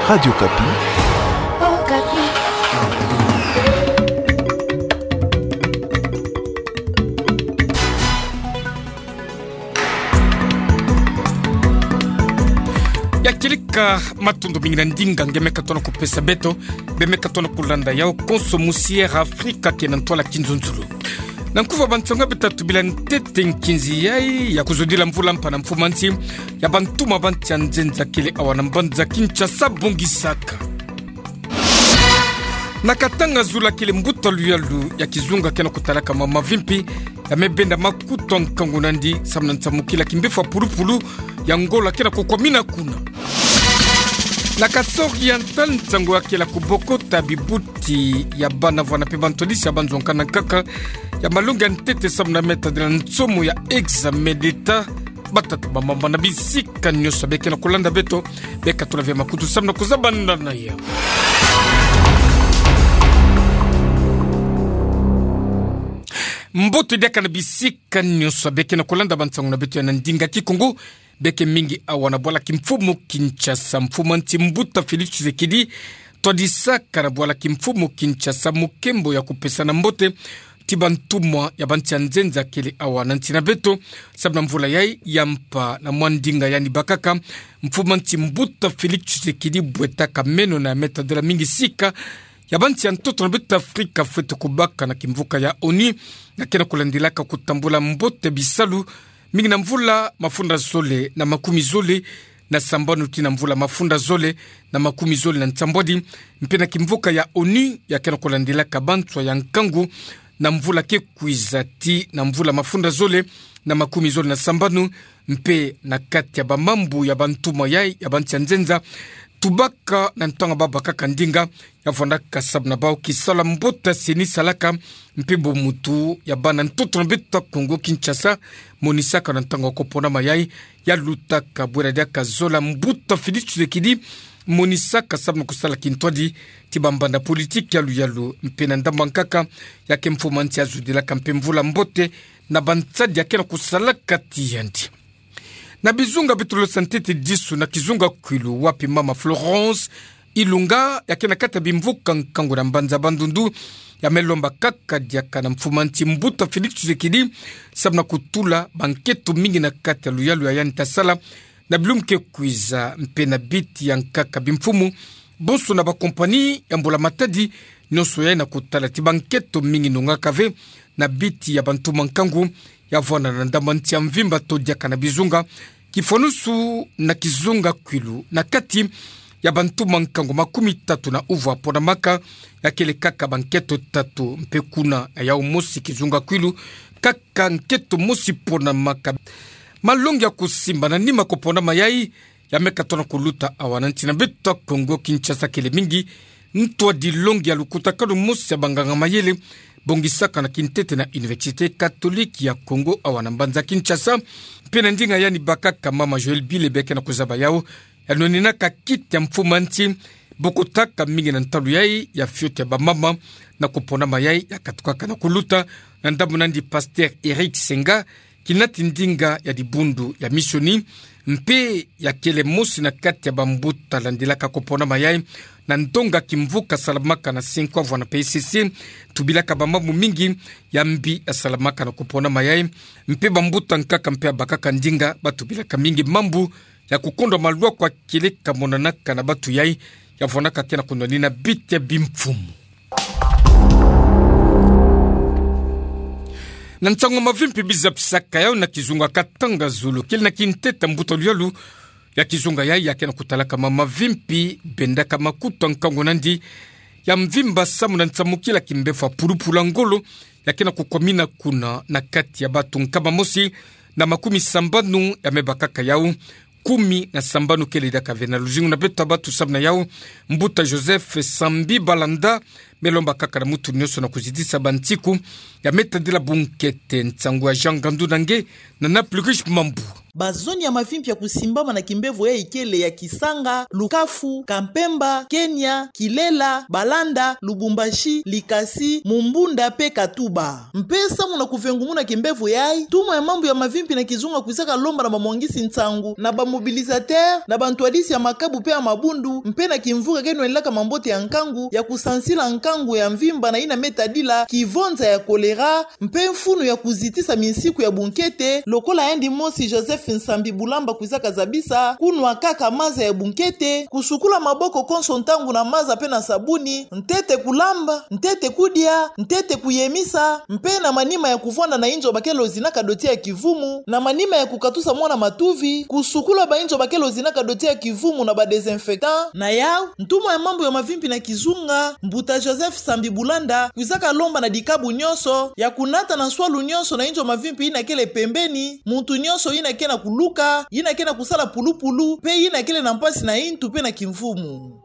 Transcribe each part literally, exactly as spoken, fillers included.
Radio Okapi. Ya kilika, matondo mingi na ndinga nge meka tona kupesa beto, be meka tona kulanda yau konso musi Air Afrika ke na ntwala kinzonzolo. Na nkuva ba nsango ya beto tubila ntete nkinzi yayi ya kuzodila mvula mpa na mfumanti ya bantuma ba nsi ya nzenza kele awa na mbanza Kinshasa bongisaka. Na Katanga zulu kele mbuta luyalu ya kizunga ke na kutalaka mama mavimpi, ya me benda makutu nkangu nandi, samu na nsamukila kimbevo pulupulu ya ngolo ke na kukwamina kuna. Na Kasaï Oriental nsangu ya kele kubokota bibuti ya bana vana mpe bantwadisi ya banzonga na nkaka ya malongi ya ntete samu na meta de la nsomo ya examen d'État. Batata, bamama na bisika nyonso beke na kulanda beto, beka tula ve makutu samu na kuzaba nda na ya. Mbote diaka na bisika nyonso beke na kulanda ba nsangu na beto ya na ndinga Kikongo. Beke mingi awa na bwala kimfumu Kinshasa, mfumanti mbuta Félix Tshisekedi twadisaka na bwala kimfumu Kinshasa mukembo ya kupesana mbote ti bantumwa ya ba nsi ya nzenza kele awa na nsi na beto, samu na mvula yayi ya mpa. Na mwa ndinga yandi bakaka, mfumanti mbuta Félix Tshisekedi bwetaka meno na meta de la mingi sika ya ba nsi ya ntoto na beto Afrika fwete kubaka na kimvuka ya ONU, na ke na kulandilaka kutambula mbote bisalu mingi na mvula mafunda zole na makumi zole na sambanu tii na mvula mafunda zole na makumi zole na nsambwadi, mpe na kimvuka ya ONU ya ke na kulandilaka banswa ya nkangu na mvula ke kwiza tii na mvula mafunda zole na makumi zole na sambanu, mpe na kati ya bamambu ya bantumwa yayi ya ba nsi ya nzenza, tubaka na ntangu babakaka ndinga ya vwandaka samu na bawu kisalu ya mbote CENI salaka, mpe bomutu ya bana ntoto na beto Kongo Kinshasa monisaka na ntangu ya kuponama yayi, ya lutaka bwela diaka zola mbuta Félix Tshisekedi monisaka samu na kusala kintwadi ti bambanda politiki ya luyalu, mpe na ndambu ya nkaka ya ke mfumanti ya zudilaka mpe mvula mbote na bansadi ya ke na kusalaka ti yandi. Na bizunga beto losa ntete disu na kizunga Kwilu, wapi mama Florence Ilunga ya ke na kati ya bimvuka nkangu na mbanza Bandundu, ya me lomba kaka diaka na mfumanti mbuta Félix Tshisekedi samu na kutula banketo mingi na kati ya luyalu ya yandi ta sala na bilumbu ke kwiza, mpe na biti ya nkaka bimfumu bonso na bakompani ya mbula matadi nyonso yayi na kutala ti banketo mingi nongaka ve na biti ya bantumwa nkangu ya vwanda na ndambu ya nsi ya mvimba to diaka na bizunga. Kifwanusu na kizunga Kwilu, na kati ya bantumwa nkangu makumi tatu na uvwa ponamaka, ya kele kaka banketo tatu, mpe kuna na yawu mosi kizunga Kwilu, kaka nketo mosi ponamaka. Malongi ya kusimba na nima kuponama yayi ya meka tona kuluta awa na nsi na beto Kongo Kinshasa kele mingi ntwadi longi ya lukutakanu mosi ya banganga mayele bongisaka na kintete na Université Catholique ya Kongo awa na mbanza Kinshasa. Mpe na ndinga yandi bakaka mama Joëlle Bile beke na kuzaba yawu, ya nwaninaka kiti ya mfumanti bokotaka mingi na ntalu yayi ya fioti ya bamama na kuponama yayi, ya katukaka na kuluta na ndambu nandi pasteur Eric Senga, kinati ndinga ya dibundu ya misioni, mpe ya kele mosi na kati ya bambuta landilaka kuponama yayi na ndonga kimvuka salamaka na cinq ans vwanda P S C, tubilaka bamambu mingi ya mbi ya salamaka na kuponama yayi, mpe bambuta nkaka mpe ya bakaka ndinga batubilaka mingi mambu ya kukondwa malwaku ya kele kamonanaka na batu yayi, ya vwandaka ke na kunwanina biti ya bimfumu. Na nsangu mavimpi bizapisaka yawu na kizunga Katanga Zulu, kele na kintete mbuta luyalu ya kizunga yayi ya ke na kutalaka mama mavimpi bendaka makutu nkangu nandi ya mvimba samu na nsamukila kimbevo pulupulu ya ngolo ya ke na kukwamina kuna na kati ya batu nkama mosi na makumi sambanu ya me bakaka yawu kumi na sambanu kele diaka ve na luzingu na beto batu samu na yawu mbuta Joseph Sambi Balanda Me lomba kaka na mutu nyonso na kuzitisa bansiku ya me tadila bunkete. Nsangu ya Jean Ngandu na nge na Naples Riche Mambu. Bazoni ya mavimpi ya kusimbama na kimbevo yai kele ya Kisanga, Lukafu, Kampemba, Kenya, Kilela, Balanda, Lubumbashi, Likasi, Mumbunda pe Katuba. Mpe samu na kuvengumuna kimbevo yai, ntumwa ya mambu ya mavimpi na kizunga kwizaka lomba na bamwangisi nsangu, na ba mobilisateurs, na bantwadisi ya makabu pe ya mabundu, mpe na kimvuka ke nwenlaka mambote ya nkangu, ya kusansila nkangu ya mvimba na yina me tadila kivonza ya choléra, mpe mfunu ya kuzitisa minsiku ya bunkete, lokola yandi mosi Joseph Nsambi Bulamba kwizaka zabisa, kunwa kaka maza ya bunkete, kusukula maboko konso ntangu na maza pe na sabuni, ntete kulamba, ntete kudia, ntete kuyemisa, mpe na manima ya kuvwanda na inzo bakele ozinaka doti ya kivumu, na manima ya kukatusa mwana matuvi, kusukula bainzo bakele ozinaka doti ya kivumu na ba désinfectants, na yau, ntumwa ya mambu ya mavimpi na kizunga, mbuta Joseph Nsambi Bulamba, kwizaka lomba na dikabu nyonso, ya kunata na nswalu nyonso na inzo mavimpi yina kele pembeni, muntu nyonso yina ke na kuluka, yina ke na kusala pulupulu, mpe yina kele na mpasi na intu mpe na kimvumu.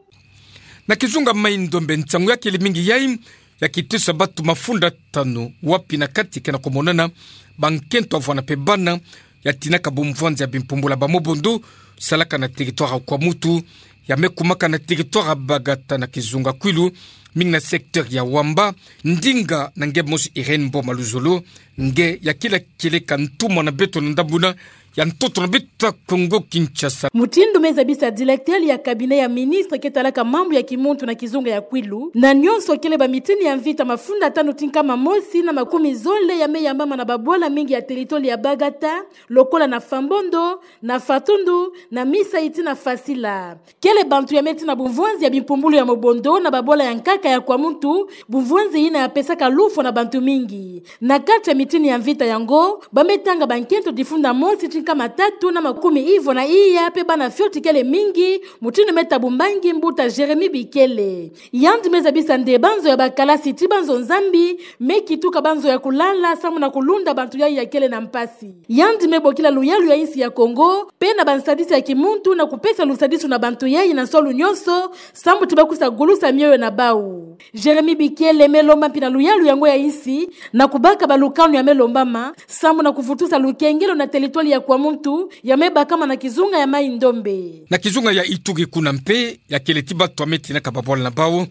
Na kizunga Mai-Ndombe, nsangu ya kele mingi yai, ya kitusa bantu mafunda tanu, wapi na kati ke na kumonana bankento ya vwanda mpe bana, ya tinaka bumvwanzi ya bimpumbulu ya ba mobondo, salaka na territoire ya Kwamouth, ya me kumaka na territoire ya Bagata na kizunga Kwilu, mingi na secteur ya Wamba. Ndinga na nge mosi Irène Mboma Luzolo, nge ya kila kieleka ntumwa na beto na ndambu yina ya ntoto na beto ya Kongo Kinshasa. Mutindu me zabisa directeur ya cabinet ya ministre ke talaka mambu ya kimuntu na kizunga ya Kwilu, na nyonso kele bamitini ya mvita mafunda tanu ti nkama mosi na makumi zole ya me yambama na babwala mingi ya territoire ya Bagata, lokola na Fambondo, na Fatundu, na Misayi ti na Fasila. Kele bantu ya me tina bumvwanzi ya bimpumbulu ya mobondo na babwala ya nkaka ya Kwamouth, bumvwanzi yina ya pesaka lufwa na bantu mingi. Na kati ya mitini ya mvita yango, ba me tanga bankento difunda mosi ti nkama tatu na makumi ivwa na iya mpe bana fioti kele mingi, mutindu me tabu mbangi mbuta Jérémie Bikele. Yandi me zabisa nde banzo ya bakalasi ti banzo nzambi, me kituka banzo ya kulala, samu na kulunda bantu yai ya kele na mpasi. Yandi me bokila luyalu ya insi ya Kongo, mpe na bansadisi ya kimuntu na kupesa lusadisu na bantu yai na nswalu nyonso, samu ti ba kwisa gulusa mioyo na bau. Jérémie Bikele me lomba mpi na luyalu yango ya insi, na kubaka balukanu ya me lombama, samu na kuvutusa lukengelo na territoire ya Kwamouth, ya me bakama na kizunga ya Mai-Ndombe. Na kizunga ya Ituri kuna mpe, ya kele ti bantu ya me tinaka babwala na bau,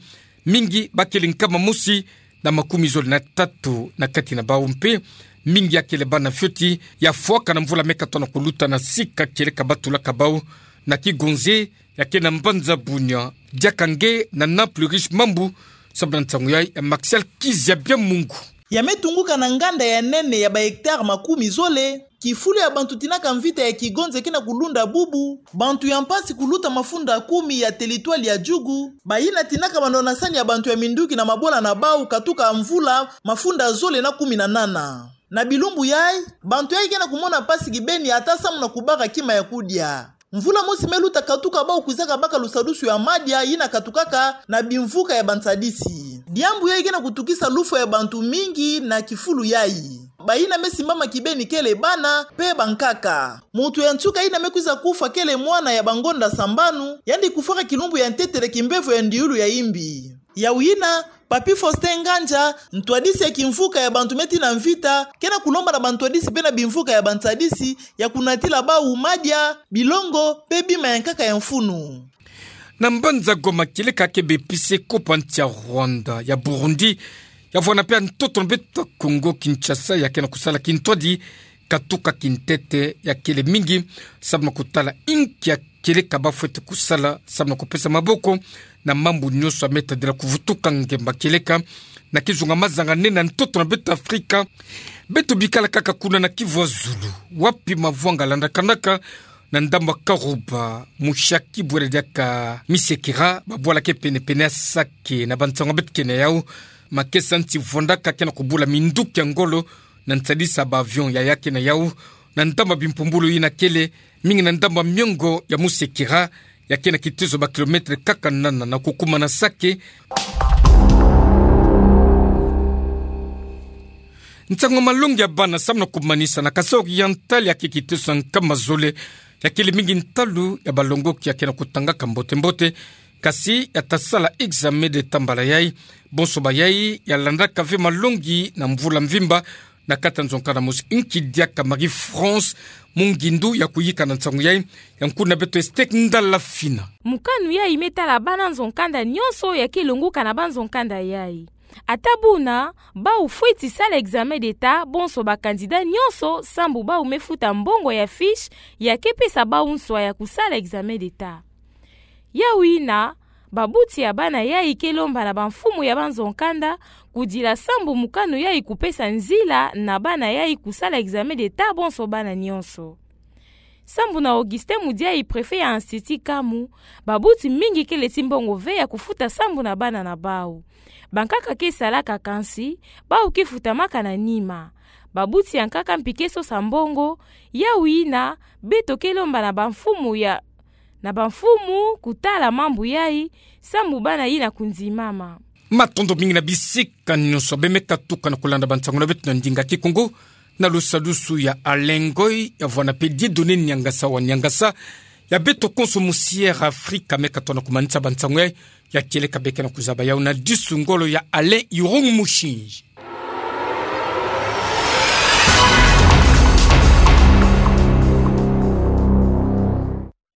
mingi ba kele nkama mosi na makumi zole na tatu na kati na bau mpe, mingi ya kele bana fioti, ya fwaka na mvula me katoa na kuluta na sika kieleka ba tulaka bau, na Kigonze, ya ke na mbanza Bunia. Diaka nge na Naples Riche Mambu, samu na nsangu yai ya Martial Kizia Biamungu. Ya me tunguka na nganda ya nene ya ba hectares makumi zole, kifulu ya bantu tinaka mvita ya Kigonze ke na kulunda bubu, bantu ya mpasi kuluta mafunda kumi ya territoire ya Djugu, bayina tinaka banwanasani ya bantu ya minduki na mabwala na bau katuka mvula mafunda zole na kumi na nana. Na bilumbu yai, bantu yai ke na kumona mpasi kibeni ata samu na kubaka kima ya kudia. Mvula mosi me luta katuka bau kwizaka baka lusadusu ya madia yina katukaka na bimvuka ya bansadisi. Diambu yai ke na kutukisa lufwa ya bantu mingi na kifulu yai. Bayina me simbama kibeni kele bana mpe bankaka. Muntu ya nsuka yina me kwiza kufwa kele mwana ya bangonda sambanu, yandi kufwaka kilumbu ya ntete na kimbevo ya ndiulu ya imbi. Yau yina, Papy Faustin Ngandja, ntwadisi ya kimvuka ya bantu me tina mvita, ke na kulomba na bantwadisi mpe na bimvuka ya bansadisi, ya kunatila bau madia, bilongo, mpe bima ya nkaka ya mfunu. Na mbanza Goma, kieleka ke bepise kopa nsi ya Rwanda, ya Burundi, ya vwanda mpe ya ntoto na beto Kongo Kinshasa, ya ke na kusala kintwadi, katuka kintete ya kele mingi, samu na kutala inki ya kieleka ba fwete kusala, samu na kupesa maboko na mambu nyonso ya me tadila kuvutuka ngemba kieleka na kizunga mazanga nene na ntoto na beto Afrika. Beto bikala kaka kuna na Kivu ya Zulu, wapi mavwanga landakanaka na ndambu ya Karuba, Mushaki, bwela diaka Misekera, babwala ke pene-pene ya Sake. Na bansangu ya beto ke na yau, makesa nsi vwandaka ke na kubula minduki ya ngolo, na nsadisi ya ba avion ya ya ke na yau, na ndambu ya bimpumbulu yina kele mingi na ndambu ya miongo ya Musekera, ya ke na kitezo ba kilomètre kaka nana na kukuma na Sake. Nsangu ya malongi ya bana samu na kumanisa na Kasaï Oriental, ya ke kitezo ya nkama zole, ya kele mingi ntalu ya balongoki ya ke na kutangaka mbote-mbote, Kasi ya ta sala examen de tambala yai, bonso ba yai ya landaka ve malongi na mvula mvimba, na kati ya nzo nkanda mosi. Nki diaka Marie-France Mungindu ya kuyika na nsangu yai, ya nkuna beto Esther Ndala Fina. Mokano yai me tala bana nzo nkanda nyonso ya ke longoka na banzo nkanda yai. Ata buna, bau fweti sala examen d'Etat, bonso ba candidat nyonso, sambu bau me futa mbongo ya fiche ya ke pesa bau nswa ya kusala examen d'Etat. Yau ina, babuti ya bana yai ke lomba na bamfumu ya banzo nkanda, kudila sambu mokano yai kupesa nzila na bana yai kusala examen d'Etat bonso bana nyonso. Sambu na Augustin Mudiayi, préfet ya Institut Kamu, babuti mingi ke leti mbongo ve ya kufuta sambu na bana na bau. Bankaka ke salaka kansi, bau ke futamaka na nima. Babuti ya nkaka mpi ke sosa mbongo, yau ina, beto ke lomba na bamfumu ya, na bamfumu kutala mambu yai, sambu bana yina kundimama. Matondo mingi na bisika nyonso be me katuka na kulanda bansangu na beto na ndinga Kikongo, na lusadusu ya Alain Ngoy, ya vwanda pe Dieudonné Niangasa wa Niangasa, ya beto konso mu Sierra Africa me katona kumanisa bansangu yai, ya kieleka be ke na kuzaba yau na disu ngolo ya Alain Irung Mushinji.